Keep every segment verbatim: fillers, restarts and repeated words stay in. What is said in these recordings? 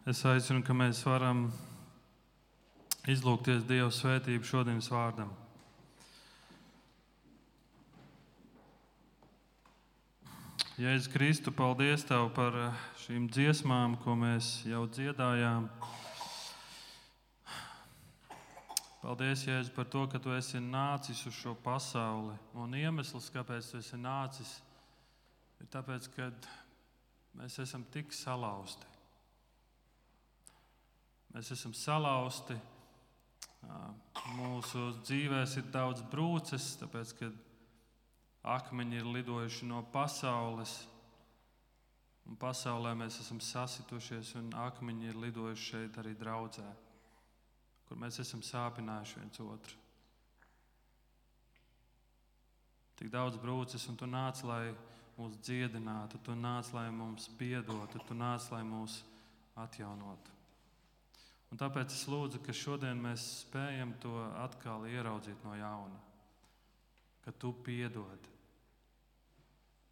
Es aicinu, ka mēs varam izlūgties Dieva svētību šodienas vārdam. Jēzus Kristu, paldies Tev par šīm dziesmām, ko mēs jau dziedājām. Paldies, Jēzus, par to, ka Tu esi nācis uz šo pasauli. Un iemesls, kāpēc Tu esi nācis, ir tāpēc, ka mēs esam tik salauzti. Mēs esam salauzti, mūsu dzīvēs ir daudz brūces, tāpēc, ka akmeņi ir lidojuši no pasaules, un pasaulē mēs esam sasitušies, un akmeņi ir lidojuši šeit arī draudzē, kur mēs esam sāpinājuši viens otru. Tik daudz brūces, un Tu nāc, lai mūs dziedinātu, Tu nāc, lai mums piedotu, Tu nāc, lai mūs atjaunotu. Un tāpēc es lūdzu, ka šodien mēs spējam to atkal ieraudzīt no jauna, ka Tu piedod.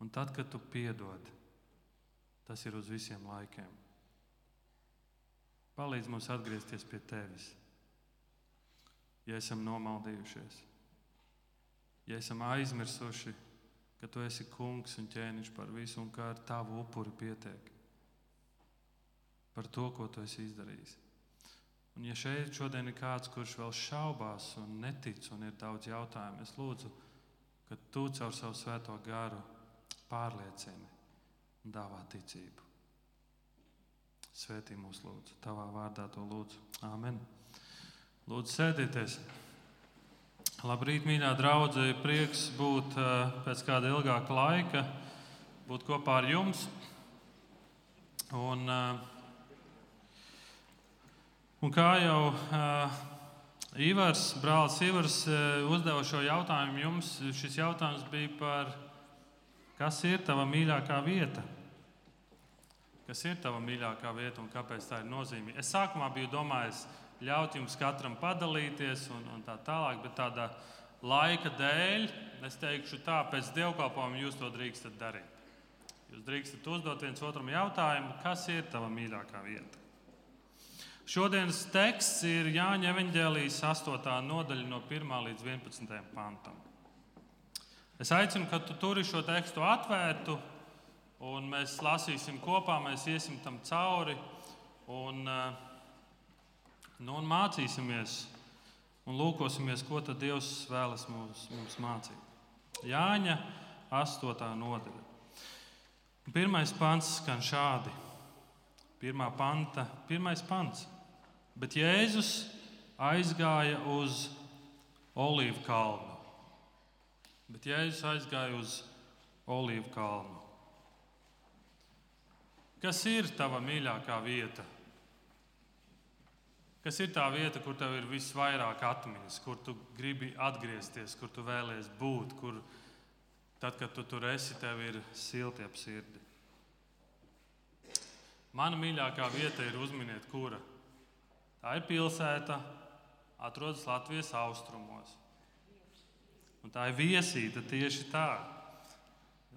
Un tad, kad Tu piedod, tas ir uz visiem laikiem. Palīdz mums atgriezties pie Tevis, ja esam nomaldījušies, ja esam aizmirsuši, ka Tu esi kungs un ķēniņš par visu un ka ar Tavu upuri pietiek par to, ko Tu esi izdarījis. Un ja šeit šodien ir kāds, kurš vēl šaubās un netic un ir daudz jautājumu, es lūdzu, ka Tu caur savu svēto garu pārliecini un dāvā ticību. Svētī mūs lūdzu, Tavā vārdā to lūdzu. Āmen. Lūdzu, sēdieties. Labrīt, mīļā draudze, prieks būt pēc kāda ilgāka laika, būt kopā ar jums. Un... Un kā jau uh, Ivars, brālis Ivars uh, uzdeva šo jautājumu jums, šis jautājums bija par, kas ir tava mīļākā vieta? Kas ir tava mīļākā vieta un kāpēc tā ir nozīmīga? Es sākumā biju domājis ļaut jums katram padalīties un, un tā tālāk, bet tāda laika dēļ, es teikšu tā, pēc dievkalpojuma jūs to drīkstat darīt. Jūs drīkstat uzdot viens otram jautājumu, kas ir tava mīļākā vieta? Šodienas teksts ir Jāņa evaņģēlijas astotā nodaļa no pirmā līdz vienpadsmitajam pantam. Es aicinu, ka tu turi šo tekstu atvērtu, un mēs lasīsim kopā, mēs iesim tam cauri, un, nu, un mācīsimies, un lūkosimies, ko tad Dievs vēlas mums, mums mācīt. Jāņa astotā nodaļa. Pirmais pants skan šādi. Pirmā panta, pirmais pants. Bet Jēzus aizgāja uz Olīvu kalnu. Bet Jēzus aizgāja uz Olīvu kalnu. Kas ir tava mīļākā vieta? Kas ir tā vieta, kur tev ir visvairāk atmiņas, kur tu gribi atgriezties, kur tu vēlies būt, kur tad, kad tu tur esi, tev ir silti ap sirdi? Mana mīļākā vieta ir, uzminiet, kura? Tā ir pilsēta, atrodas Latvijas austrumos. Un tā ir Viesīta, tieši tā.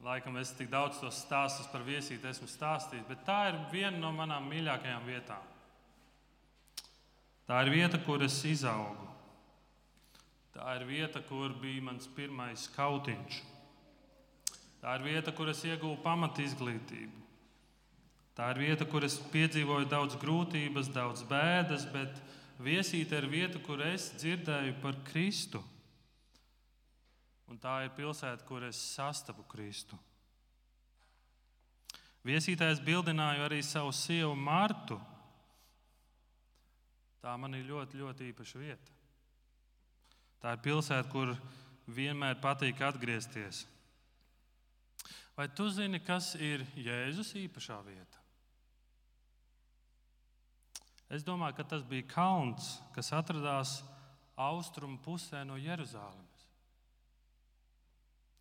Laikam es tik daudz tos stāstus par Viesīti esmu stāstījis, bet tā ir viena no manām mīļākajām vietām. Tā ir vieta, kur es izaugu. Tā ir vieta, kur bija mans pirmais kautiņš. Tā ir vieta, kur es ieguvu pamatizglītību. Tā ir vieta, kur es piedzīvoju daudz grūtības, daudz bēdas, bet Viesīte ir vieta, kur es dzirdēju par Kristu. Un tā ir pilsēta, kur es sastapu Kristu. Viesītē es bildināju arī savu sievu Martu. Tā man ir ļoti, ļoti īpaša vieta. Tā ir pilsēta, kur vienmēr patīk atgriezties. Vai tu zini, kas ir Jēzus īpašā vieta? Es domāju, ka tas bija kalns, kas atradās austrumu pusē no Jeruzālemes.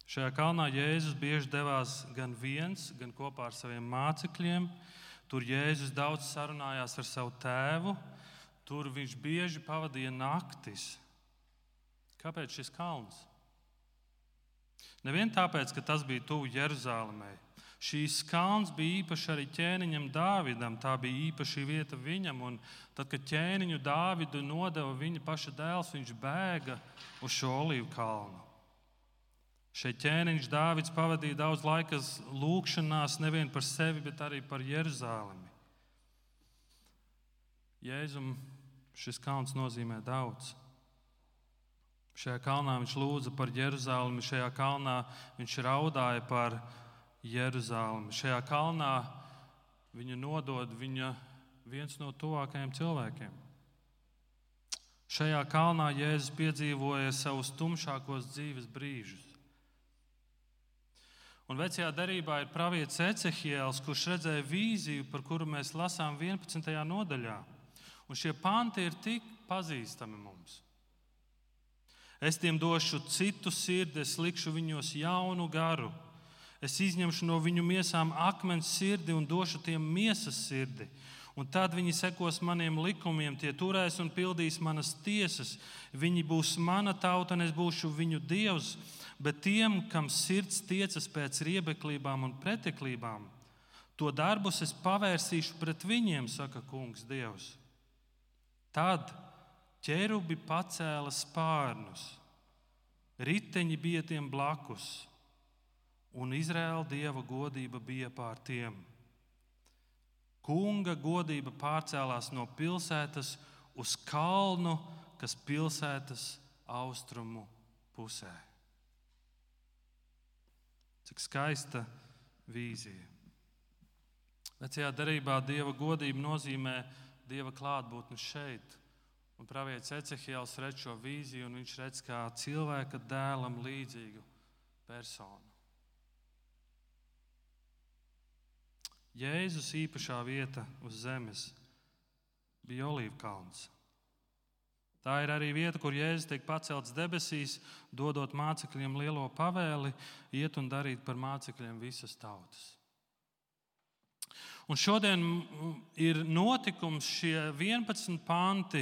Šajā kalnā Jēzus bieži devās gan viens, gan kopā ar saviem mācekļiem. Tur Jēzus daudz sarunājās ar savu tēvu. Tur viņš bieži pavadīja naktis. Kāpēc šis kalns? Nevien tāpēc, ka tas bija tuvu Jeruzālemei. Šīs kalns bija īpaši arī ķēniņam Dāvidam, tā bija īpaša vieta viņam. Un tad, kad ķēniņu Dāvidu nodeva viņa paša dēls, viņš bēga uz šo olīvu kalnu. Šeit ķēniņš Dāvids pavadīja daudz laika lūgšanās nevien par sevi, bet arī par Jeruzalemi. Jēzum šis kalns nozīmē daudz. Šajā kalnā viņš lūdza par Jeruzalemi, šajā kalnā viņš raudāja par Jeruzalemi. Šajā kalnā viņu nodod viņa viens no tuvākajiem cilvēkiem. Šajā kalnā Jēzus piedzīvoja savus tumšākos dzīves brīžus. Un vecajā derībā ir pravietis Ecehiels, kurš redzēja vīziju, par kuru mēs lasām vienpadsmitajā nodaļā. Un šie panti ir tik pazīstami mums. Es tiem došu citu sirdi, es likšu viņos jaunu garu. Es izņemšu no viņu miesām akmens sirdi un došu tiem miesas sirdi. Un tad viņi sekos maniem likumiem, tie turēs un pildīs manas tiesas. Viņi būs mana tauta, un es būšu viņu dievs. Bet tiem, kam sirds tiecas pēc riebeklībām un preteklībām, to darbus es pavērsīšu pret viņiem, saka kungs Dievs. Tad ķerubi pacēla spārnus, riteņi bija tiem blakus, un Izraēla Dieva godība bija pār tiem. Kunga godība pārcēlās no pilsētas uz kalnu, kas pilsētas austrumu pusē. Cik skaista vīzija. Vecajā derībā Dieva godība nozīmē Dieva klātbūtni šeit. Un pravietis Ecehiels redz šo vīziju, un viņš redz kā cilvēka dēlam līdzīgu personu. Jēzus īpašā vieta uz zemes bija Olīvkalns. Tā ir arī vieta, kur Jēzus tiek pacelts debesīs, dodot mācekļiem lielo pavēli, iet un darīt par mācekļiem visas tautas. Un šodien ir notikums šie vienpadsmit panti,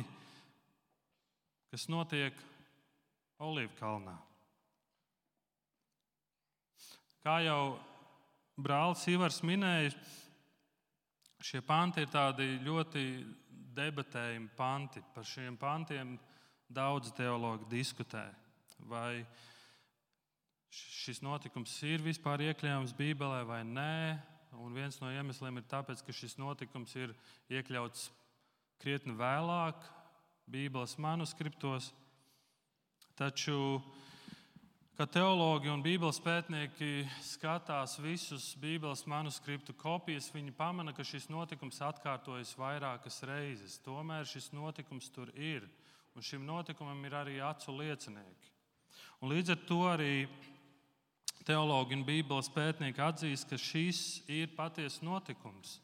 kas notiek Olīvkalnā. Kā jau brālis Ivars minēja, šie panti ir tādi ļoti debatējumi panti. Par šiem pantiem daudz teologi diskutē. Vai šis notikums ir vispār iekļāvams Bībelē vai nē? Un viens no iemesliem ir tāpēc, ka šis notikums ir iekļauts krietni vēlāk Bībeles manuskriptos. Taču, kad teologi un Bībeles pētnieki skatās visus Bībeles manuskriptu kopijas, viņi pamana, ka šis notikums atkārtojas vairākas reizes. Tomēr šis notikums tur ir, un šim notikumam ir arī acu liecinieki. Un līdz ar to arī teologi un Bībeles pētnieki atzīst, ka šis ir patiesas notikums.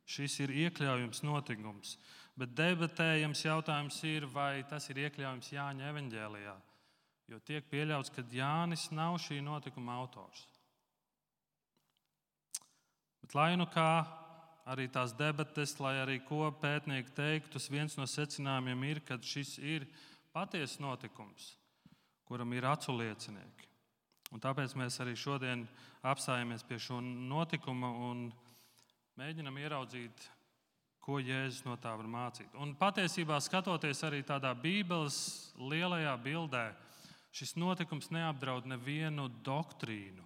Šis ir iekļaujams notikums. Bet debatējams jautājums ir, vai tas ir iekļaujams Jāņa evaņģēlijā. Jo tiek pieļauts, ka Jānis nav šī notikuma autors. Bet lai nu kā, arī tās debates, lai arī ko pētnieki teiktu, viens no secinājumiem ir, ka šis ir patiesas notikums, kuram ir acu liecinieki. Un tāpēc mēs arī šodien apstājamies pie šo notikuma un mēģinam ieraudzīt, ko Jēzus no tā var mācīt. Un patiesībā, skatoties arī tādā Bībeles lielajā bildē, šis notikums neapdraud nevienu doktrīnu.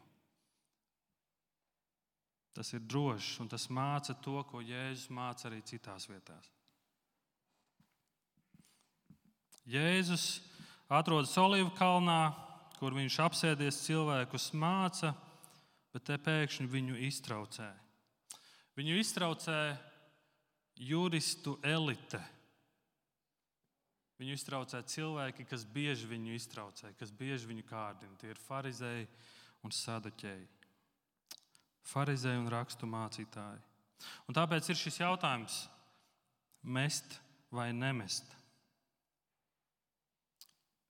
Tas ir drošs un tas māca to, ko Jēzus māca arī citās vietās. Jēzus atrodas Olīvkalnā, kur viņš apsēdies cilvēkus māca, bet te pēkšņi viņu iztraucē. Viņu iztraucē juristu elite. Viņu iztraucē cilvēki, kas bieži viņu iztraucē, kas bieži viņu kārdina. Tie ir farizēji un saduķēji. Farizēji un rakstu mācītāji. Un tāpēc ir šis jautājums – mest vai nemest?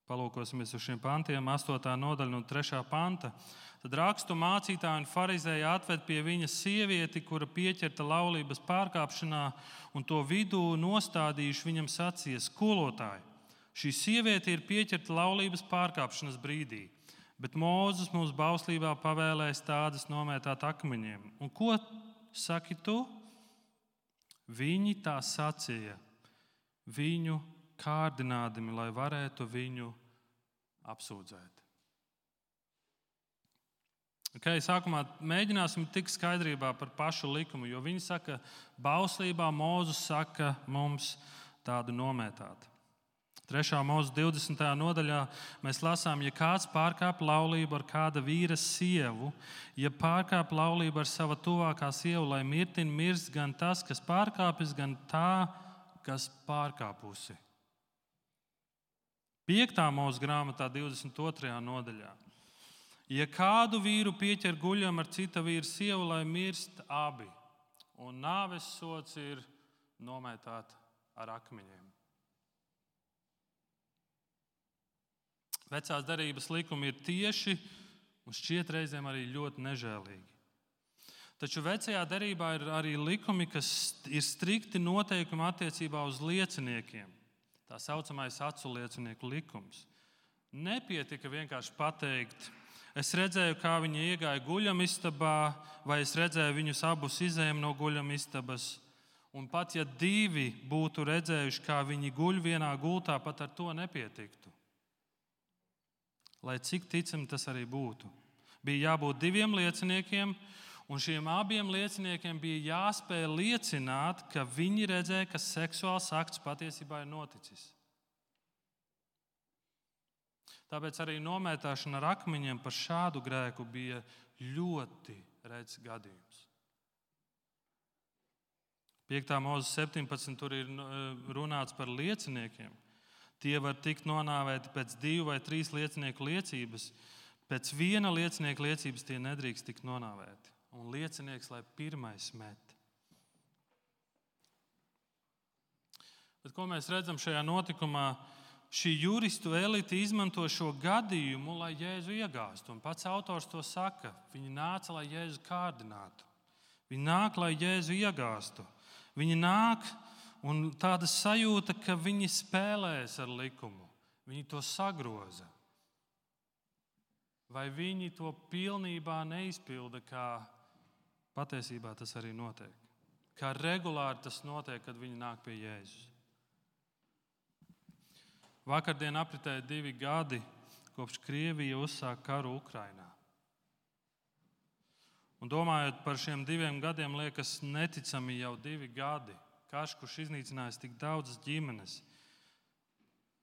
Palūkosimies uz šiem pantiem, astotā nodaļa no trešā panta. Tad rakstu mācītāji un farizēji atved pie viņa sievieti, kura pieķerta laulības pārkāpšanā, un to vidū nostādījuši viņam sacīja: skolotāji, šī sieviete ir pieķerta laulības pārkāpšanas brīdī. Bet Mūzes mums bauslībā pavēlēs tādas nomētāt akmeņiem. Un ko saki tu? Viņi tā sacīja, viņu kārdinādami, lai varētu viņu apsūdzēt. Okay, sākumā mēģināsim tikt skaidrībā par pašu likumu, jo viņi saka, bauslībā Mūzes saka mums tādu nomētāt. Trešā Mūzes divdesmitajā nodaļā mēs lasām, ja kāds pārkāp laulību ar kāda vīra sievu, ja pārkāp laulību ar sava tuvākā sievu, lai mirtin mirst gan tas, kas pārkāpis, gan tā, kas pārkāpusi. Piektā Mūzes grāmatā divdesmit otrajā nodaļā. Ja kādu vīru pieķer guļam ar cita vīra sievu, lai mirst abi, un nāves sods ir nomētāt ar akmeņiem. Vecās derības likumi ir tieši un šķiet reizēm arī ļoti nežēlīgi. Taču vecajā derībā ir arī likumi, kas ir strikti noteikumi attiecībā uz lieciniekiem. Tā saucamais acu liecinieku likums. Nepietika vienkārši pateikt, es redzēju, kā viņi iegāja guļamistabā, vai es redzēju viņus abus izējām no guļamistabas. Un pat ja divi būtu redzējuši, kā viņi guļ vienā gultā, pat ar to nepietiktu. Lai cik ticami tas arī būtu. Bija jābūt diviem lieciniekiem, un šiem abiem lieciniekiem bija jāspēj liecināt, ka viņi redzēja, ka seksuāls akts patiesībā ir noticis. Tāpēc arī nomētāšana ar akmeņiem par šādu grēku bija ļoti rets gadījums. piektā Mūzes septiņpadsmit tur ir runāts par lieciniekiem. Tie var tikt nonāvēti pēc divu vai trīs liecinieku liecības. Pēc viena liecinieka liecības tie nedrīkst tikt nonāvēti. Un liecinieks, lai pirmais met. Bet ko mēs redzam šajā notikumā? Šī juristu elite izmanto šo gadījumu, lai Jēzu iegāstu. Un pats autors to saka. Viņi nāca, lai Jēzu kārdinātu. Viņi nāk, lai Jēzu iegāstu. Viņi nāk, un tāda sajūta, ka viņi spēlēs ar likumu. Viņi to sagroza. Vai viņi to pilnībā neizpilda, kā patiesībā tas arī notiek. Kā regulāri tas notiek, kad viņi nāk pie Jēzus. Vakardien apritēja divi gadi, kopš Krievija uzsāka karu Ukrainā. Un domājot par šiem diviem gadiem, liekas neticami jau divi gadi. Karš, kurš iznīcinājis tik daudzas ģimenes,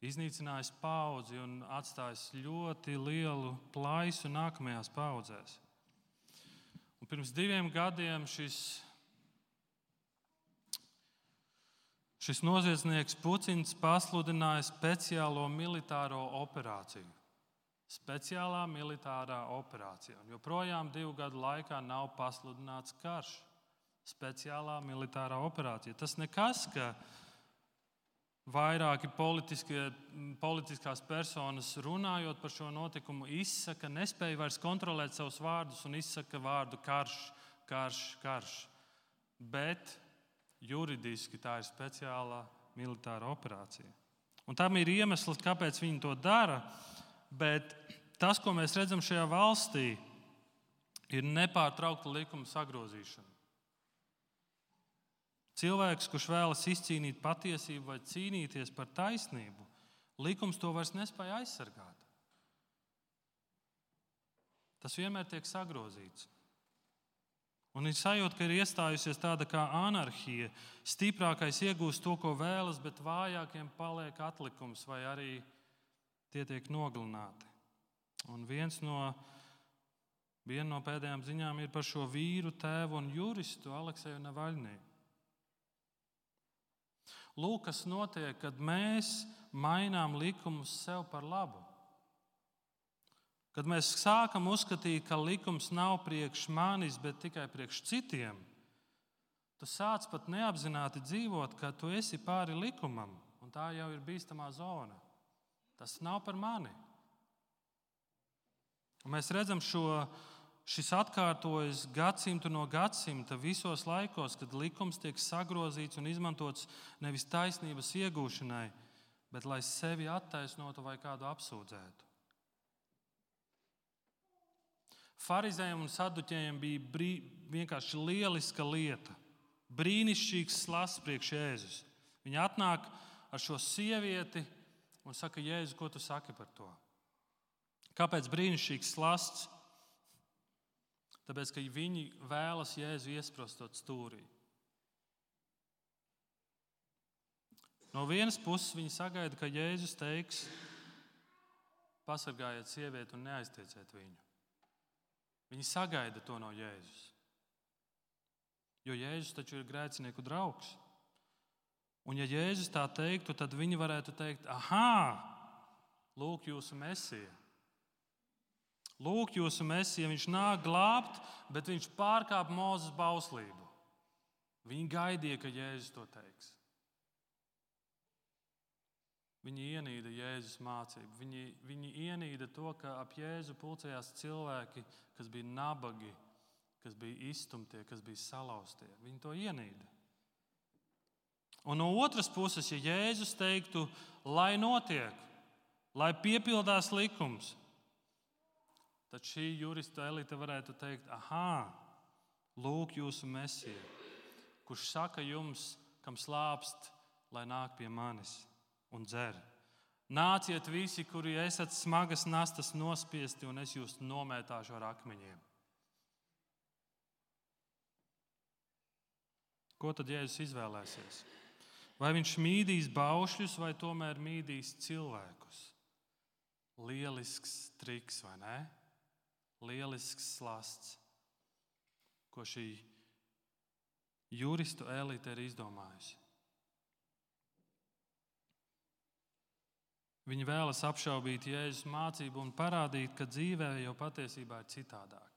iznīcinājis paudzi un atstājis ļoti lielu plaisu nākamajās paudzēs. Un pirms diviem gadiem šis, šis noziedznieks Puķins pasludināja speciālo militāro operāciju. Speciālā militārā operācija. Un joprojām divu gadu laikā nav pasludināts karš. Speciālā militārā operācija. Tas nekas, ka vairāki politiskās personas runājot par šo notikumu izsaka, nespēja vairs kontrolēt savus vārdus un izsaka vārdu karš, karš, karš. Bet juridiski tā ir speciālā militāra operācija. Un tam ir iemesls, kāpēc viņi to dara, bet tas, ko mēs redzam šajā valstī, ir nepārtraukta likuma sagrozīšana. Cilvēks, kurš vēlas izcīnīt patiesību vai cīnīties par taisnību, likums to vairs nespēja aizsargāt. Tas vienmēr tiek sagrozīts. Un ir sajūta, ka ir iestājusies tāda kā anarhija. Stiprākais iegūst to, ko vēlas, bet vājākiem paliek atlikums vai arī tie tiek nogalināti. Un viens no, viena no pēdējām ziņām ir par šo vīru, tēvu un juristu Alekseju Navaļniju. Lūk, kas notiek, kad mēs mainām likumus sev par labu. Kad mēs sākam uzskatīt, ka likums nav priekš manis, bet tikai priekš citiem, tu sāc pat neapzināti dzīvot, ka tu esi pāri likumam, un tā jau ir bīstamā zona. Tas nav par mani. Un mēs redzam šo Šis atkārtojas gadsimtu no gadsimta visos laikos, kad likums tiek sagrozīts un izmantots nevis taisnības iegūšanai, bet lai sevi attaisnotu vai kādu apsūdzētu. Farizējiem un saduķējiem bija brī, vienkārši lieliska lieta, brīnišķīgs slasts priekš Jēzus. Viņi atnāk ar šo sievieti un saka, Jēzu, ko tu saki par to? Kāpēc brīnišķīgs slasts? Tāpēc, ka viņi vēlas Jēzu iesprostot stūrī. No vienas puses viņi sagaida, ka Jēzus teiks, pasargājiet sievieti un neaiztieciet viņu. Viņi sagaida to no Jēzus. Jo Jēzus taču ir grēcinieku draugs. Un ja Jēzus tā teiktu, tad viņi varētu teikt, aha, lūk jūsu Mesija. Lūk jūsu Mesija, viņš nāk glābt, bet viņš pārkāp Mūzes bauslību. Viņi gaidīja, ka Jēzus to teiks. Viņi ienīda Jēzus mācību. Viņi, viņi ienīda to, ka ap Jēzu pulcējās cilvēki, kas bija nabagi, kas bija izstumtie, kas bija salauztie. Viņi to ienīda. Un no otras puses, ja Jēzus teiktu, lai notiek, lai piepildās likums, tad šī juristu elite varētu teikt, aha, lūk jūsu Mesija, kurš saka jums, kam slāpst, lai nāk pie manis un dzer. Nāciet visi, kuri esat smagas nastas nospiesti, un es jūs nomētāšu ar akmeņiem. Ko tad Jēzus izvēlēsies? Vai viņš mīdīs baušļus, vai tomēr mīdīs cilvēkus? Lielisks triks, vai ne? Lielisks slasts, ko šī juristu elite ir izdomājusi. Viņi vēlas apšaubīt Jēzus mācību un parādīt, ka dzīvē jau patiesībā ir citādāk.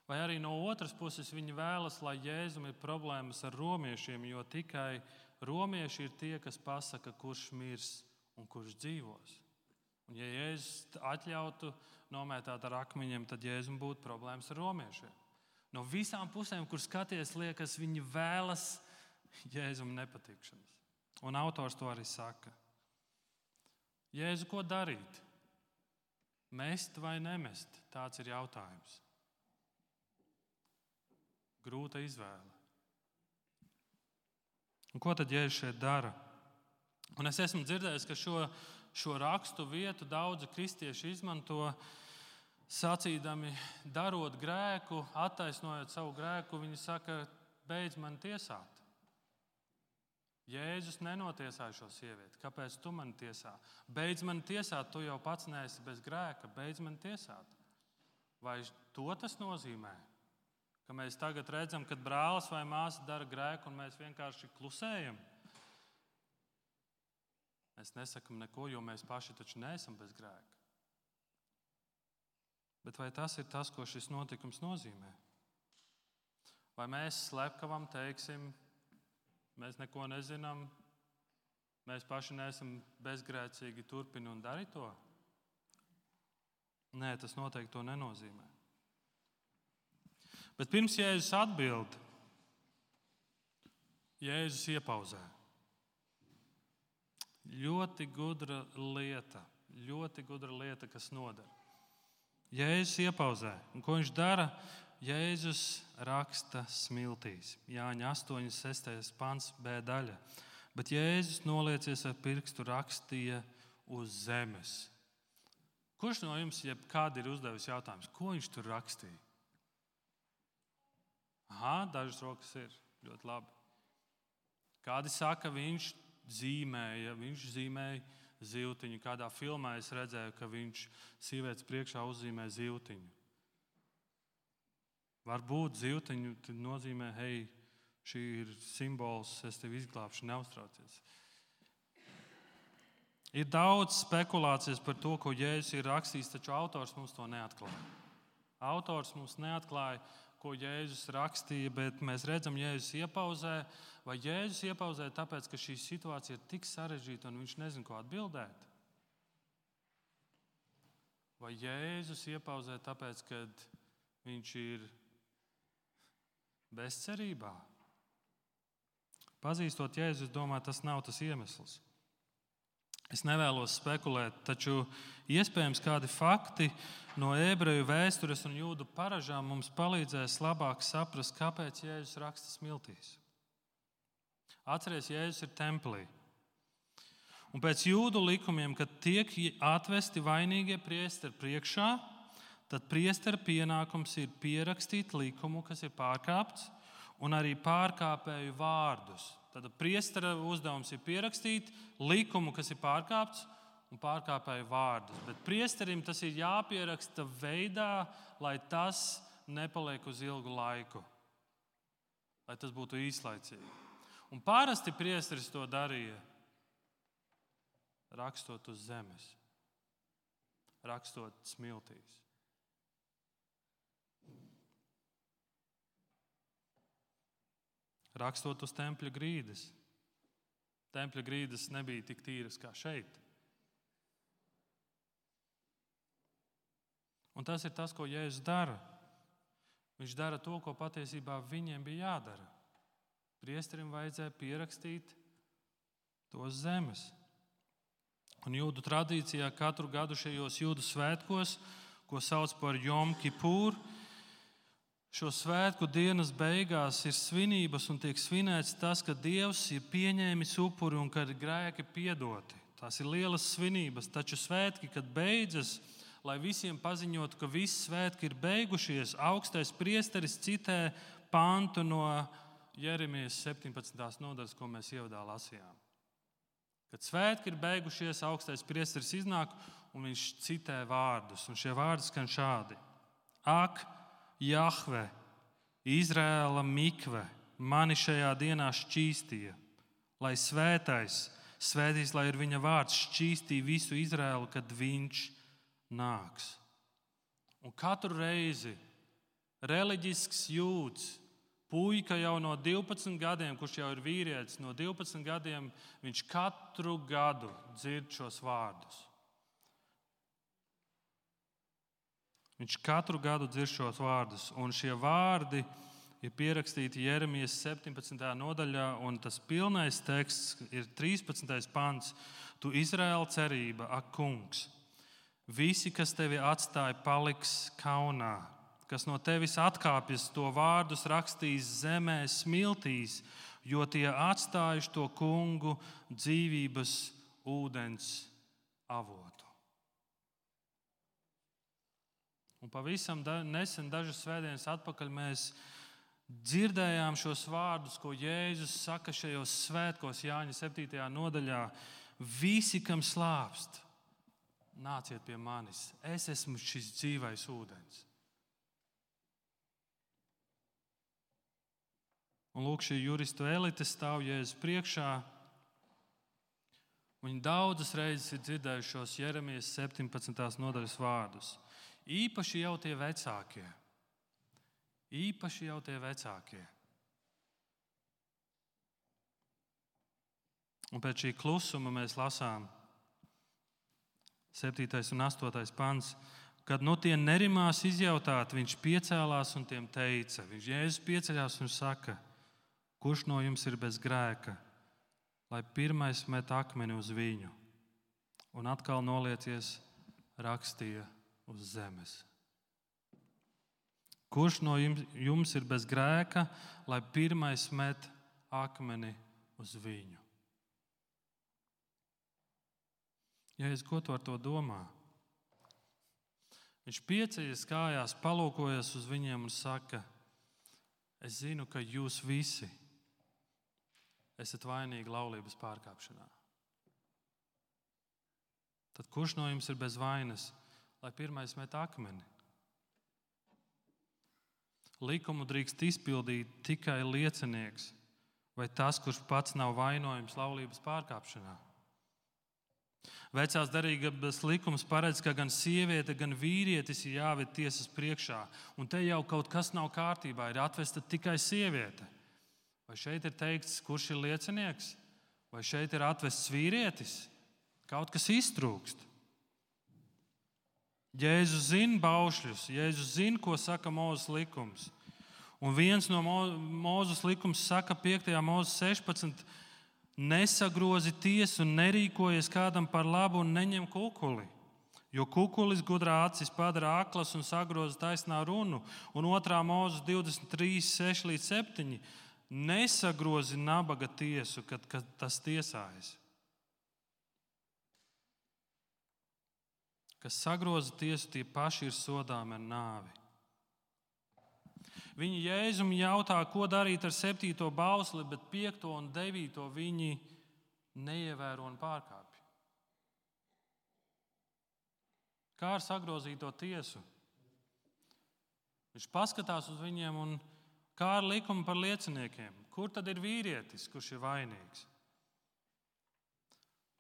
Vai arī no otras puses viņi vēlas, lai Jēzum ir problēmas ar romiešiem, jo tikai romieši ir tie, kas pasaka, kurš mirs un kurš dzīvos. Un ja Jēzus atļautu nomētāt ar akmeņiem, tad Jēzum būtu problēmas ar romiešiem. No visām pusēm, kur skaties, liekas, viņi vēlas Jēzum nepatikšanas. Un autors to arī saka. Jēzu, ko darīt? Mest vai nemest? Tāds ir jautājums. Grūta izvēle. Un ko tad Jēzus šeit dara? Un es esmu dzirdējis, ka šo, šo rakstu vietu daudzi kristieši izmanto, sacīdami, darot grēku, attaisnojot savu grēku, viņi saka, beidz man tiesāt. Jēzus nenotiesāja šo sievieti. Kāpēc tu mani tiesā? Beidz mani tiesāt, tu jau pats neesi bez grēka. Beidz mani tiesāt. Vai to tas nozīmē? Ka mēs tagad redzam, kad brālis vai māsa dara grēku un mēs vienkārši klusējam? Mēs nesakam neko, jo mēs paši taču neesam bez grēka. Bet vai tas ir tas, ko šis notikums nozīmē? Vai mēs slepkavam teiksim, mēs neko nezinām, mēs paši neesam bezgrēcīgi, turpini un dari to? Nē, tas noteikti to nenozīmē. Bet pirms Jēzus atbild, Jēzus iepauzē. Ļoti gudra lieta, ļoti gudra lieta, kas noder. Jēzus iepauzē. Un ko viņš dara? Jēzus raksta smiltīs. Jāņa astoņi sestais pants B daļa. Bet Jēzus noliecies ar pirkstu rakstīja uz zemes. Kurš no jums jebkādi ir uzdevis jautājums, ko viņš tur rakstīja? Aha, dažas rokas ir. Ļoti labi. Kādi saka, viņš zīmēja, viņš zīmēja zivtiņu. Kādā filmā es redzēju, ka viņš sievietes priekšā uzzīmē zivtiņu. Varbūt zivtiņu nozīmē, hei, šī ir simbols, es tevi izglābšu, neuztraucies. Ir daudz spekulācijas par to, ko Jēzus ir rakstījis, taču autors mums to neatklāja. Autors mums neatklāja, ko Jēzus rakstīja, bet mēs redzam, Jēzus iepauzē. Vai Jēzus iepauzē tāpēc, ka šī situācija ir tik sarežģīta un viņš nezina, ko atbildēt? Vai Jēzus iepauzē tāpēc, ka viņš ir bezcerībā? Pazīstot Jēzu, es domāju, tas nav tas iemesls. Es nevēlos spekulēt, taču iespējams kādi fakti no ebreju vēstures un jūdu paražām mums palīdzēs labāk saprast, kāpēc Jēzus raksta smiltīs. Atceries, Jēzus ir templī. Un pēc jūdu likumiem, kad tiek atvesti vainīgie priesteri priekšā, tad priestera pienākums ir pierakstīt likumu, kas ir pārkāpts, un arī pārkāpēju vārdus. Tad priestera uzdevums ir pierakstīt likumu, kas ir pārkāpts, un pārkāpēju vārdus. Bet priesterim tas ir jāpieraksta veidā, lai tas nepaliek uz ilgu laiku, lai tas būtu īslaicīgi. Un parasti priesteris to darīja, rakstot uz zemes, rakstot smiltīs. Rakstot uz tempļa grīdas. Tempļa grīdas nebija tik tīras kā šeit. Un tas ir tas, ko Jēzus dara. Viņš dara to, ko patiesībā viņiem bija jādara. Priesterim vajadzēja pierakstīt to uz zemes. Un jūdu tradīcijā katru gadu šajos jūdu svētkos, ko sauc par Jom Kipūru, šo svētku dienas beigās ir svinības un tiek svinēts tas, ka Dievs ir pieņēmis upuri un ka ir grēki piedoti. Tās ir lielas svinības, taču svētki, kad beidzas, lai visiem paziņotu, ka visi svētki ir beigušies, augstais priesteris citē pantu no Jeremijas septiņpadsmitās nodaļas, ko mēs ievadā lasījām. Kad svētki ir beigušies, augstais priesteris iznāk un viņš citē vārdus. Un šie vārdi skan šādi. Ak, Jahve, Izraēla mikve, mani šajā dienā šķīstīja, lai svētais, svētīs, lai ir viņa vārds, šķīstīja visu Izraēlu, kad viņš nāks. Un katru reizi reliģisks jūds, puika jau no divpadsmit gadiem, kurš jau ir vīrietis, no divpadsmit gadiem, viņš katru gadu dzird šos vārdus. Viņš katru gadu dzird šos vārdus, un šie vārdi ir pierakstīti Jeremijas septiņpadsmitajā nodaļā, un tas pilnais teksts ir trīspadsmitais pants. Tu Izraēla cerība, ak kungs, visi, kas tevi atstāja, paliks kaunā, kas no tevis atkāpjas, to vārdus rakstīs zemē smiltīs, jo tie atstājuši to kungu dzīvības ūdens avotu. Un pavisam da, nesen, dažas svētdienas atpakaļ, mēs dzirdējām šos vārdus, ko Jēzus saka šajos svētkos Jāņa septītajā nodaļā. Visi, kam slāpst, nāciet pie manis. Es esmu šis dzīvais ūdens. Un lūk, šī juristu elite stāv Jēzus priekšā. Viņi daudzas reizes ir dzirdējuši šos Jeremijas septiņpadsmitās nodaļas vārdus. Īpaši jau tie vecākie. Īpaši jau tie vecākie. Un pēc šī klusuma mēs lasām septītais un astotais pants. Kad no tie nerimās izjautāt, viņš piecēlās un tiem teica. Viņš Jēzus pieceļās un saka, kurš no jums ir bez grēka, lai pirmais met akmeni uz viņu. Un atkal noliecies, rakstīja uz zemes. Kurš no jums ir bez grēka, lai pirmais met akmeni uz viņu? Jēzus, ko tu ar to domā? Viņš pieceļas kājās, palūkojas uz viņiem un saka, es zinu, ka jūs visi esat vainīgi laulības pārkāpšanā. Tad kurš no jums ir bez vainas, lai pirmais met akmeni? Likumu drīkst izpildīt tikai liecinieks vai tas, kurš pats nav vainojams laulības pārkāpšanā. Vecās derības likums paredz, ka gan sieviete, gan vīrietis ir jāved tiesas priekšā. Un te jau kaut kas nav kārtībā, ir atvesta tikai sieviete. Vai šeit ir teikts, kurš ir liecinieks? Vai šeit ir atvests vīrietis? Kaut kas iztrūkst. Jēzus zina baušļus, Jēzus zina, ko saka Mūzes likums. Un viens no Mūzes likums saka piektajā Mūzes sešpadsmit, Nesagrozi tiesu, nerīkojies kādam par labu un neņem kukuli. Jo kukulis gudrā acis padara aklas un sagroza taisnā runu. Un otrā Mūzes divdesmit trīs, seši līdz septiņi. Nesagrozi nabaga tiesu, kad, kad tas tiesājas. Kas sagroza tiesu, tie paši ir sodāmi ar nāvi. Viņi Jēzum jautā, ko darīt ar septīto bausli, bet piekto un devīto viņi neievēro un pārkāpj. Kā ar sagrozīto tiesu? Viņš paskatās uz viņiem un kā ar likumu par lieciniekiem. Kur tad ir vīrietis, kurš ir vainīgs?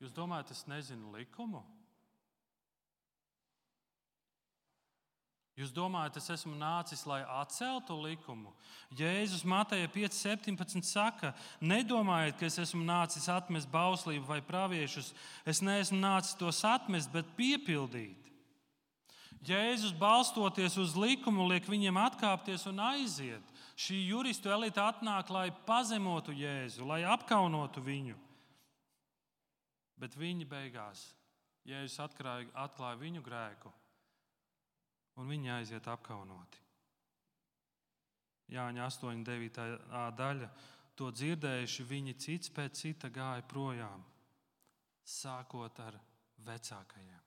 Jūs domājat, es nezinu likumu? Jūs domājat, es esmu nācis, lai atceltu likumu? Jēzus Mateja pieci septiņpadsmit saka, nedomājiet, ka es esmu nācis atmest bauslību vai praviešus. Es neesmu nācis tos atmest, bet piepildīt. Jēzus, balstoties uz likumu, liek viņiem atkāpties un aiziet. Šī juristu elite atnāk, lai pazemotu Jēzu, lai apkaunotu viņu. Bet viņi beigās, Jēzus atklāja, atklāja viņu grēku, un viņi aiziet apkaunoti. Jāņa astoņi devītā daļa. To dzirdējuši viņi cits pēc cita gāja projām, sākot ar vecākajiem.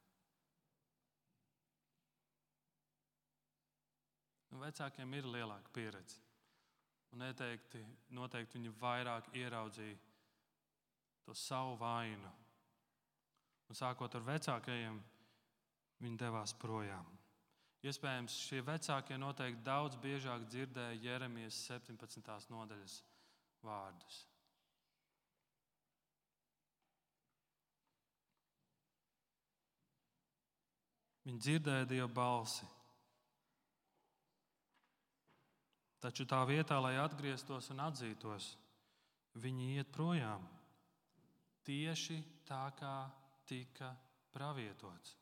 Vecākiem ir lielāka pieredze. Un neteikti, noteikti viņi vairāk ieraudzīja to savu vainu. Un sākot ar vecākajiem, viņi devās projām. Iespējams, šie vecākie noteikti daudz biežāk dzirdēja Jeremijas septiņpadsmitās nodaļas vārdus. Viņi dzirdēja Dieva balsi. Taču tā vietā, lai atgrieztos un atzītos, viņi iet projām. Tieši tā, kā tika pravietots.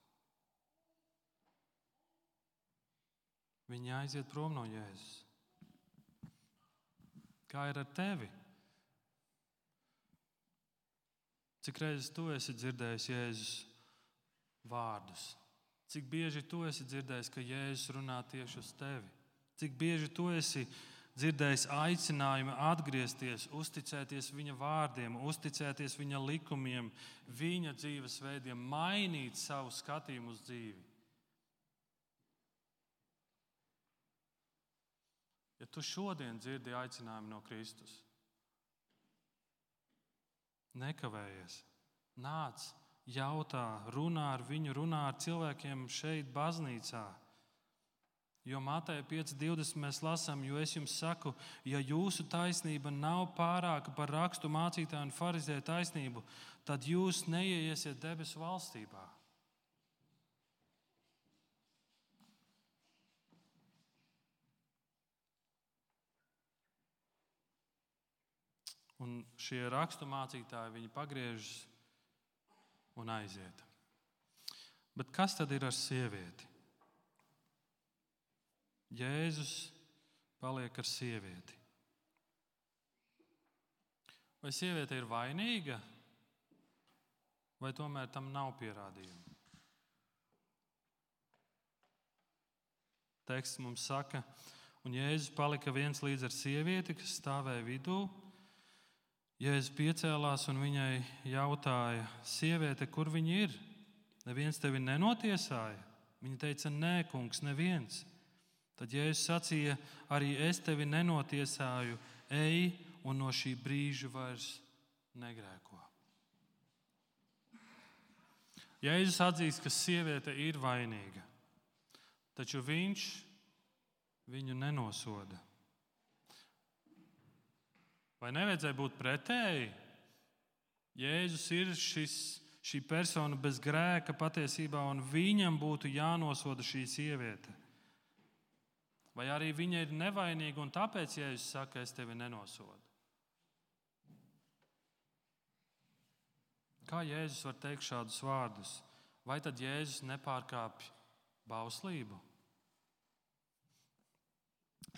Viņi aiziet prom no Jēzus. Kā ir ar tevi? Cik reizes tu esi dzirdējis Jēzus vārdus? Cik bieži tu esi dzirdējis, ka Jēzus runā tieši uz tevi? Cik bieži tu esi dzirdējis aicinājumu atgriezties, uzticēties viņa vārdiem, uzticēties viņa likumiem, viņa dzīvesveidiem, mainīt savu skatījumu uz dzīvi? Ja tu šodien dzirdi aicinājumu no Kristus, nekavējies, nāc, jautā, runā ar viņu, runā ar cilvēkiem šeit baznīcā. Jo Mateja pieci divdesmit mēs lasām, jo es jums saku, ja jūsu taisnība nav pārāka par rakstu mācītāju un farizēju taisnību, tad jūs neieiesiet debesu valstībā. Un šie rakstu mācītāji, viņi pagriežas un aiziet. Bet kas tad ir ar sievieti? Jēzus paliek ar sievieti. Vai sieviete ir vainīga, vai tomēr tam nav pierādījumu? Teksts mums saka, un Jēzus palika viens līdz ar sievieti, kas stāvēja vidū. Jēzus piecēlās un viņai jautāja, sieviete, kur viņa ir? Neviens tevi nenotiesāja? Viņa teica, nē, kungs, neviens. Tad Jēzus sacīja, arī es tevi nenotiesāju, ej un no šī brīža vairs negrēko. Jēzus atzīst, ka sieviete ir vainīga, taču viņš viņu nenosoda. Vai nevajadzēja būt pretēji? Jēzus ir šis, šī persona bez grēka patiesībā, un viņam būtu jānosoda šī sieviete. Vai arī viņa ir nevainīga, un tāpēc Jēzus saka, es tevi nenosodu? Kā Jēzus var teikt šādus vārdus? Vai tad Jēzus nepārkāpj bauslību?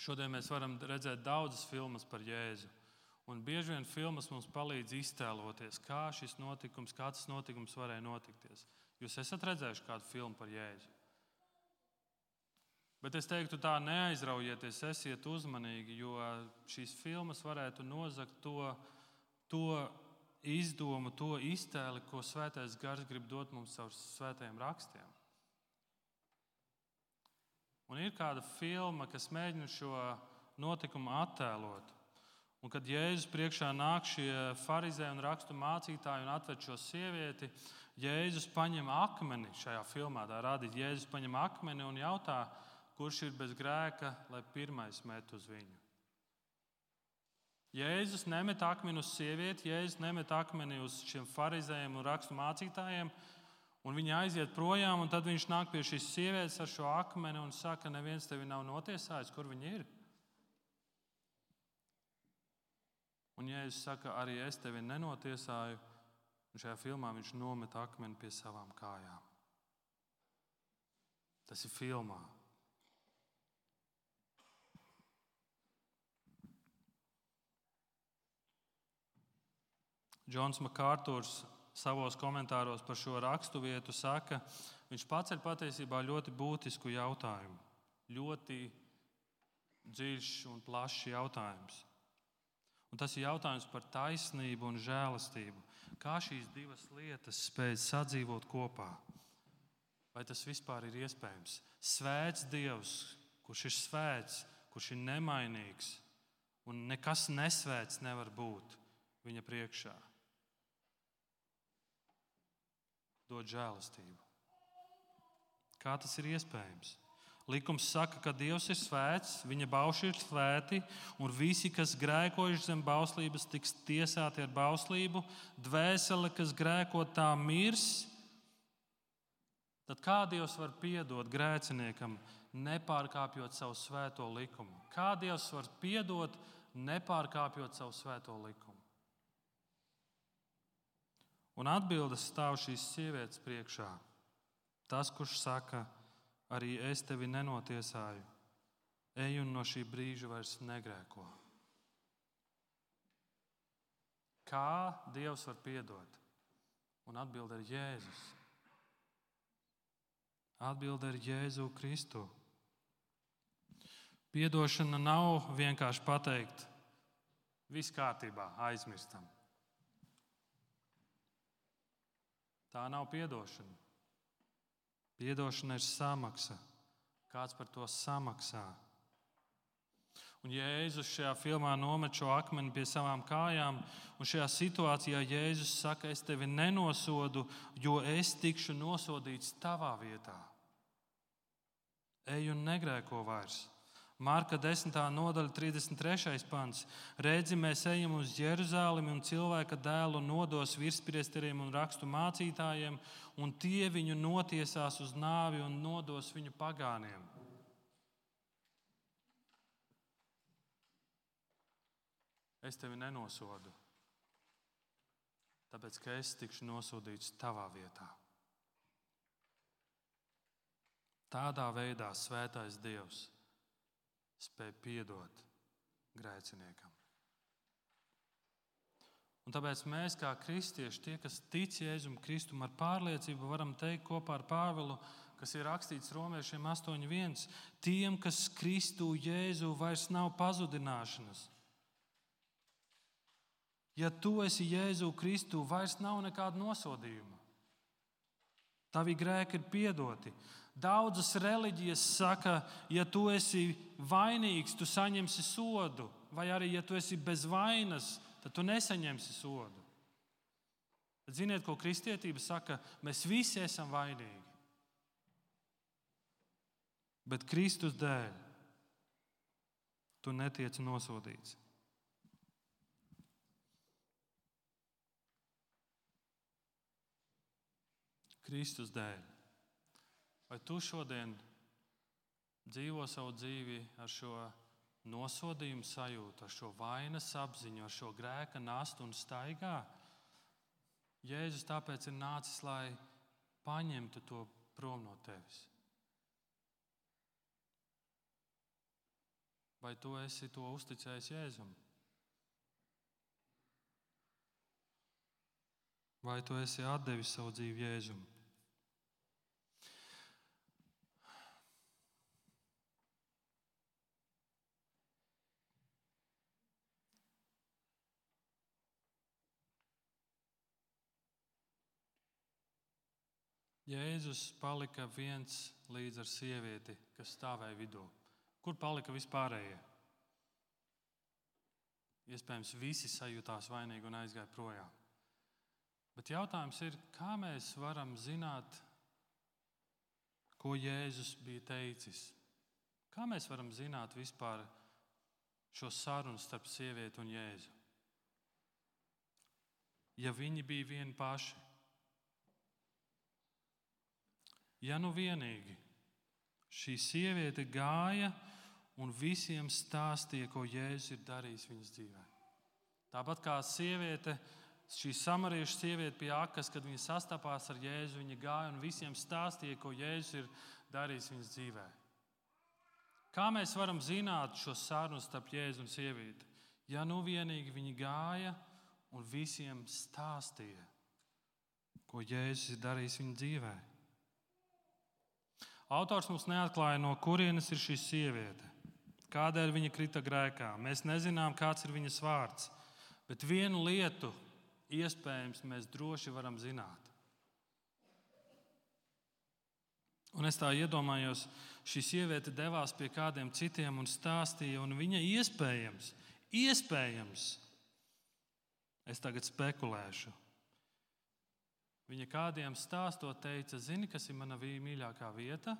Šodien mēs varam redzēt daudzas filmas par Jēzu. Un bieži vien filmas mums palīdz iztēloties, kā šis notikums, kā tas notikums varēja notikties. Jūs esat redzējuši kādu filmu par Jēzu? Bet es teiktu tā, neaizraujieties, esiet uzmanīgi, jo šīs filmas varētu nozagt to, to izdomu, to iztēli, ko Svētais Gars grib dot mums caur svētajiem rakstiem. Un ir kāda filma, kas mēģina šo notikumu attēlot. Un kad Jēzus priekšā nāk šie farizēji un rakstu mācītāji un atved šo sievieti, Jēzus paņem akmeni šajā filmā, tā rādīt, Jēzus paņem akmeni un jautā, kurš ir bez grēka, lai pirmais met uz viņu. Jēzus nemet akmeni uz sievieti, Jēzus nemet akmeni uz šiem farizējiem un rakstu mācītājiem, un viņi aiziet projām, un tad viņš nāk pie šīs sievietes ar šo akmeni un saka, neviens tevi nav notiesājis, kur viņi ir? Un Jēzus saka, arī es tevi nenotiesāju, un šajā filmā viņš nomet akmeni pie savām kājām. Tas ir filmā. Džons Makārturs savos komentāros par šo raksturvietu saka, viņš paceļ patiesībā ļoti būtisku jautājumu. Ļoti dziļš un plašs jautājums. Un tas ir jautājums par taisnību un žēlastību. Kā šīs divas lietas spēj sadzīvot kopā? Vai tas vispār ir iespējams? Svēts Dievs, kurš ir svēts, kurš ir nemainīgs, un nekas nesvēts nevar būt viņa priekšā. Dod žēlastību. Kā tas ir iespējams? Likums saka, ka Dievs ir svēts, viņa bauši ir svēti, un visi, kas grēkojuši zem bauslības, tiks tiesāti ar bauslību. Dvēsele, kas grēko, tā mirs. Tad kā Dievs var piedot grēciniekam, nepārkāpjot savu svēto likumu? Kā Dievs var piedot, nepārkāpjot savu svēto likumu? Un atbildes stāv šīs sievietes priekšā. Tas, kurš saka, arī es tevi nenotiesāju, ej un no šī brīža vairs negrēko. Kā Dievs var piedot? Un atbilde ir Jēzus. Atbilde ir Jēzu Kristu. Piedošana nav vienkārši pateikt, viss kārtībā, aizmirstam. Tā nav piedošana. Piedošana ir samaksa. Kāds par to samaksā? Un Jēzus šajā filmā nomet šo akmeni pie savām kājām, un šajā situācijā Jēzus saka, es tevi nenosodu, jo es tikšu nosodīts tavā vietā. Ej un negrēko vairs. Marka desmitā nodaļa, trīsdesmit trešais pants. Redzi, mēs ejam uz Jeruzalemi, un cilvēka dēlu nodos virspriesteriem un rakstu mācītājiem, un tie viņu notiesās uz nāvi un nodos viņu pagāniem. Es tevi nenosodu, tāpēc, ka es tikšu nosodīts tavā vietā. Tādā veidā svētais Dievs spēj piedot grēciniekam. Un tāpēc mēs, kā kristieši, tie, kas tic Jēzum Kristum ar pārliecību, varam teikt kopā ar Pāvilu, kas ir rakstīts Romiešiem astoņi viens, tiem, kas Kristu Jēzu vairs nav pazudināšanas. Ja tu esi Jēzu Kristu, vairs nav nekāda nosodījuma. Tavi grēki ir piedoti. Daudzas reliģijas saka, ja tu esi vainīgs, tu saņemsi sodu, vai arī, ja tu esi bez vainas, tad tu nesaņemsi sodu. Tad ziniet, ko kristietība saka? Mēs visi esam vainīgi. Bet Kristus dēļ tu netiec nosodīts. Kristus dēļ. Vai tu šodien dzīvo savu dzīvi ar šo nosodījumu sajūtu, ar šo vainas apziņu, ar šo grēka nastu un staigā? Jēzus tāpēc ir nācis, lai paņemtu to prom no tevis. Vai tu esi to uzticējis Jēzum? Vai tu esi atdevis savu dzīvi Jēzum? Jēzus palika viens līdz ar sievieti, kas stāvēja vidū. Kur palika vispārējie? Iespējams, visi sajūtās vainīgi un aizgāja projām. Bet jautājums ir, kā mēs varam zināt, ko Jēzus bija teicis? Kā mēs varam zināt vispār šo sarunu starp sievieti un Jēzu? Ja viņi bija vieni paši. Ja nu vienīgi šī sieviete gāja un visiem stāstīja, ko Jēzus ir darījis viņas dzīvē. Tāpat kā sieviete, šī samariešu sieviete pie akas, kad viņa sastapās ar Jēzu, viņa gāja un visiem stāstīja, ko Jēzus ir darījis viņas dzīvē. Kā mēs varam zināt šo sarunu starp Jēzu un sievieti? Ja nu vienīgi viņi gāja un visiem stāstīja, ko Jēzus ir darījis viņas dzīvē. Autors mums neatklāja, no kurienes ir šī sieviete, kādēļ viņa krita grēkā. Mēs nezinām, kāds ir viņas vārds, bet vienu lietu iespējams mēs droši varam zināt. Un es tā iedomājos, šī sieviete devās pie kādiem citiem un stāstīja, un viņa iespējams, iespējams, es tagad spekulēšu, viņa kādiem stāstot teica, zini, kas ir mana mīļākā vieta?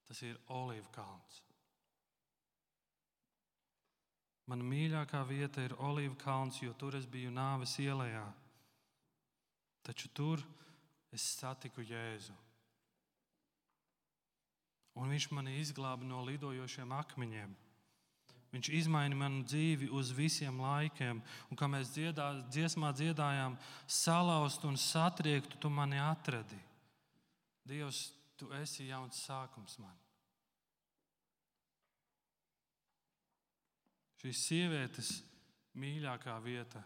Tas ir Olīvu kalns. Mana mīļākā vieta ir Olīvu kalns, jo tur es biju nāves ielejā. Taču tur es satiku Jēzu. Un viņš mani izglāba no lidojošiem akmeņiem. Viņš izmaina manu dzīvi uz visiem laikiem. Un kā mēs dziedā, dziesmā dziedājām, salauzt un satriektu, tu mani atradi. Dievs, tu esi jauns sākums man. Šīs sievietes mīļākā vieta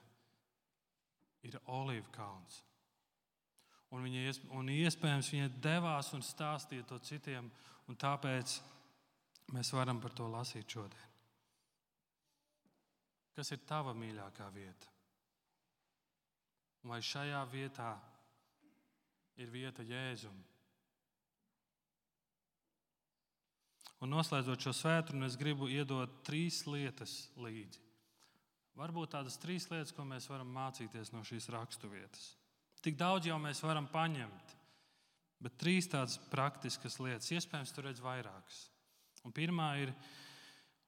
ir Olīvu kalns. Un, viņa, un iespējams viņa devās un stāstīja to citiem, un tāpēc mēs varam par to lasīt šodien. Kas ir tava mīļākā vieta? Vai šajā vietā ir vieta Jēzum? Un noslēdzot šo svētdienu, es gribu iedot trīs lietas līdzi. Varbūt tādas trīs lietas, ko mēs varam mācīties no šīs raksturvietas. Tik daudz jau mēs varam paņemt, bet trīs tādas praktiskas lietas. Iespējams, tu redz vairākas. Un pirmā ir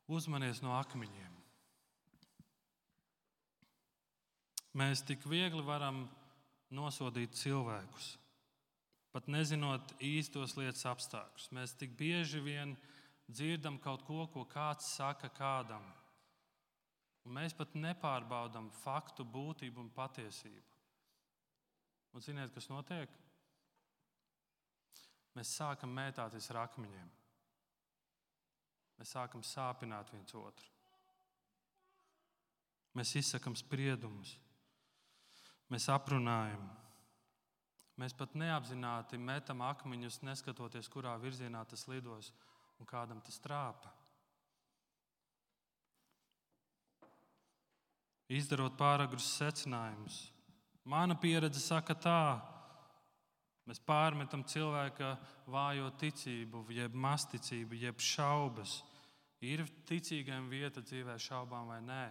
uzmanies no akmeņiem. Mēs tik viegli varam nosodīt cilvēkus, pat nezinot īstos lietas apstākļus. Mēs tik bieži vien dzirdam kaut ko, ko kāds saka kādam. Un mēs pat nepārbaudam faktu būtību un patiesību. Un ziniet, kas notiek? Mēs sākam mētāties ar akmeņiem. Mēs sākam sāpināt viens otru. Mēs izsakam spriedumus. Mēs aprunājam. Mēs pat neapzināti metam akmeņus, neskatoties, kurā virzienā tas lidos un kādam tas trāpa. Izdarot pāragrus secinājumus. Mana pieredze saka tā. Mēs pārmetam cilvēka vājo ticību, jeb masticību, jeb šaubas. Ir ticīgiem vieta dzīvē šaubām vai nē?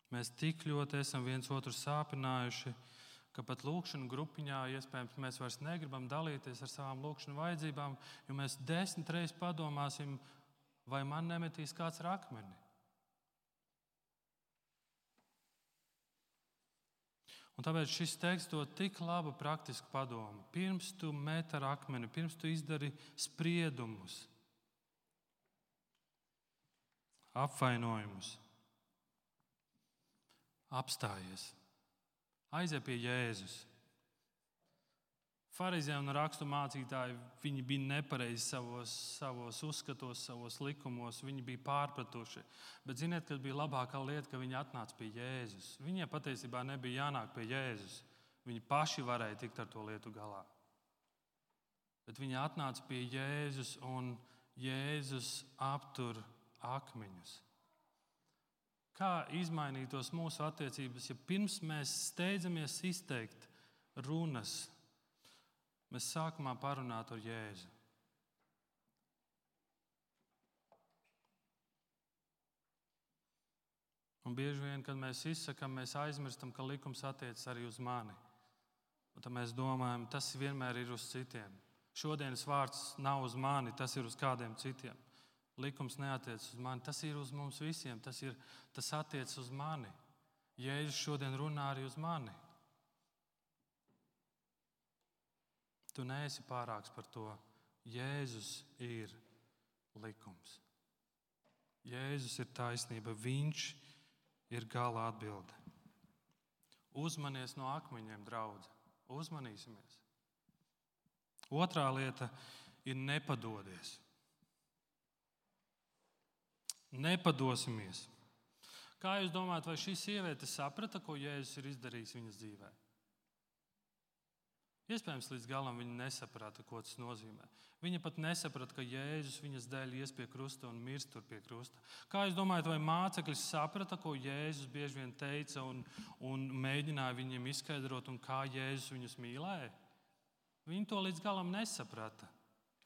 Mēs tik ļoti esam viens otru sāpinājuši, ka pat lūkšanu grupiņā iespējams mēs vairs negribam dalīties ar savām lūkšanu vajadzībām, jo mēs desmit reizes padomāsim, vai man nemetīs kāds ar akmeni. Un tāpēc šis teksts dod tik labu praktisku padomu. Pirms tu met ar akmeni, pirms tu izdari spriedumus, apvainojumus, apstājies, aizej pie Jēzus. Farizēji un rakstu mācītāji, viņi bija nepareizi savos, savos uzskatos, savos likumos, viņi bija pārpratuši. Bet ziniet, kas bija labākā lieta, ka viņi atnāca pie Jēzus. Viņiem patiesībā nebija jānāk pie Jēzus. Viņi paši varēja tikt ar to lietu galā. Bet viņi atnāca pie Jēzus un Jēzus aptur akmeņus. Kā izmainītos mūsu attiecības, ja pirms mēs steidzamies izteikt runas, mēs sākumā parunātu ar Jēzu? Un bieži vien, kad mēs izsakām, mēs aizmirstam, ka likums attiecas arī uz mani. Un tad mēs domājam, tas vienmēr ir uz citiem. Šodienas vārds nav uz mani, tas ir uz kādiem citiem. Likums neatiecas uz mani, tas ir uz mums visiem, tas, ir, tas attiecas uz mani. Jēzus šodien runā arī uz mani. Tu neesi pārāks par to. Jēzus ir likums. Jēzus ir taisnība, viņš ir gala atbilde. Uzmanies no akmeņiem, draudze. Uzmanīsimies. Otrā lieta ir nepadodies. Nepadosimies. Kā jūs domājat, vai šī sieviete saprata, ko Jēzus ir izdarījis viņas dzīvē? Iespējams, līdz galam viņa nesaprata, ko tas nozīmē. Viņa pat nesaprata, ka Jēzus viņas dēļ ies pie krusta un mirst tur pie krusta. Kā jūs domājat, vai mācekļi saprata, ko Jēzus bieži vien teica un, un mēģināja viņiem izskaidrot, un kā Jēzus viņus mīlēja? Viņi to līdz galam nesaprata,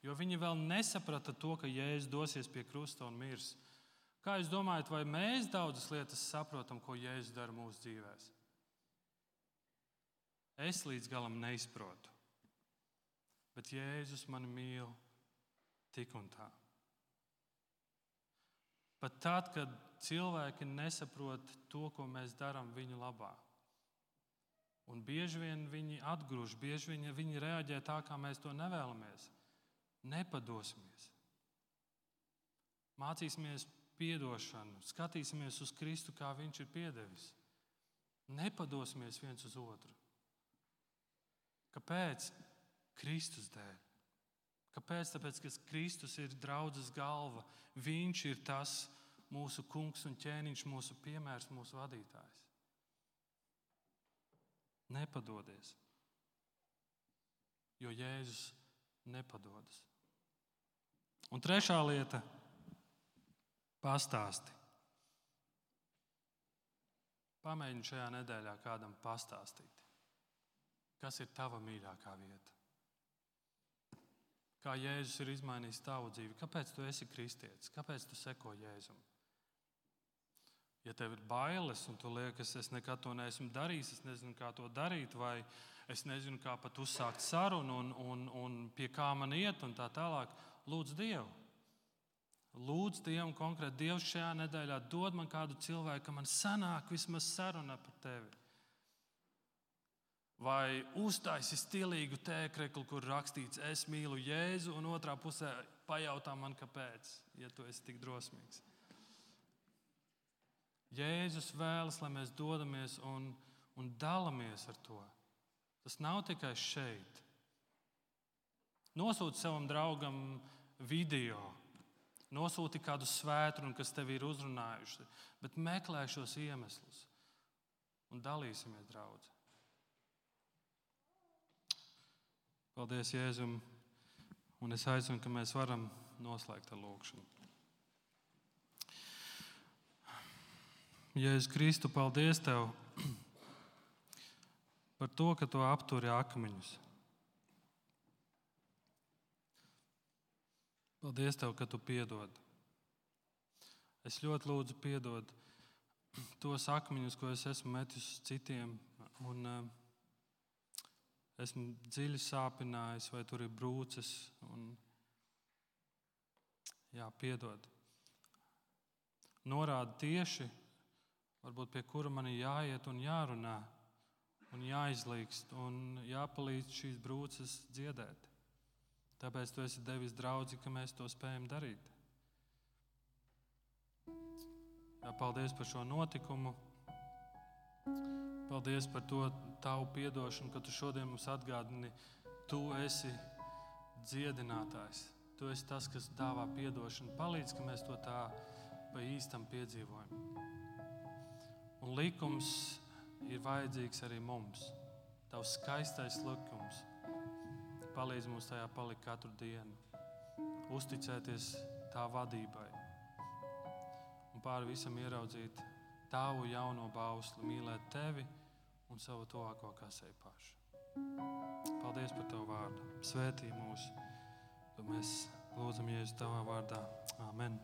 jo viņi vēl nesaprata to, ka Jēzus dosies pie krusta un mirs. Kā jūs domājat, vai mēs daudzas lietas saprotam, ko Jēzus dara mūsu dzīvēs? Es līdz galam neizprotu, bet Jēzus mani mīl tik un tā. Pat tad, kad cilvēki nesaprot to, ko mēs darām viņu labā. Un bieži vien viņi atgrūž, bieži vien viņi reaģē tā, kā mēs to nevēlamies. Nepadosimies. Mācīsimies piedošanu, skatīsimies uz Kristu, kā viņš ir piedevis. Nepadosimies viens uz otru. Kāpēc? Kristus dēļ. Kāpēc? Tāpēc, ka Kristus ir draudzes galva. Viņš ir tas mūsu kungs un ķēniņš, mūsu piemērs, mūsu vadītājs. Nepadodies, jo Jēzus nepadodas. Un trešā lieta – pastāsti. Pamēģini šajā nedēļā kādam pastāstīt, kas ir tava mīļākā vieta. Kā Jēzus ir izmainījis tavu dzīvi, kāpēc tu esi kristietis, kāpēc tu seko Jēzum. Ja tev ir bailes un tu liekas, es nekad to neesmu darījis, es nezinu, kā to darīt, vai es nezinu, kā pat uzsākt sarunu un, un, un pie kā man iet un tā tālāk, lūdz Dievu. Lūdz Dievu konkrēti. Dievs šajā nedēļā dod man kādu cilvēku, ka man sanāk vismaz saruna par tevi. Vai uztaisi stilīgu tēkreklu, kur rakstīts, es mīlu Jēzu, un otrā pusē pajautā man, kāpēc, ja tu esi tik drosmīgs. Jēzus vēlas, lai mēs dodamies un, un dalamies ar to. Tas nav tikai šeit. Nosūti savam draugam video, nosūti kādu svētkrunu, kas tevi ir uzrunājuši, bet meklē šos iemeslus un dalīsimies, draudzi. Paldies Jēzum, un es aicinu, ka mēs varam noslēgt ar lūgšanu. Jēzus Kristu, paldies Tev par to, ka Tu apturi akmeņus. Paldies Tev, ka Tu piedod. Es ļoti lūdzu piedod tos akmeņus, ko es esmu metis uz citiem, un uh, esmu dziļi sāpinājis, vai tur ir brūces, un jā, piedod. Norāda tieši, varbūt pie kura man ir jāiet un jārunā, un jāizlīkst, un jāpalīdz šīs brūces dziedēt. Tāpēc Tu esi devis draudzi, ka mēs to spējam darīt. Jā, paldies par šo notikumu. Paldies par to Tavu piedošanu, ka Tu šodien mums atgādini Tu esi dziedinātājs. Tu esi tas, kas dāvā piedošanu. Palīdz, ka mēs to tā pa īstam piedzīvojam. Un likums ir vajadzīgs arī mums. Tavs skaistais likums palīdz mums tajā palikt katru dienu. Uzticēties tā vadībai. Un pāri visam ieraudzīt tavu jauno bausli, mīlēt tevi un savu tuvāko kā sevi pašu. Paldies par tavu vārdu. Svētī mūs. To mēs lūdzam Jēzus tavā vārdā. Amen.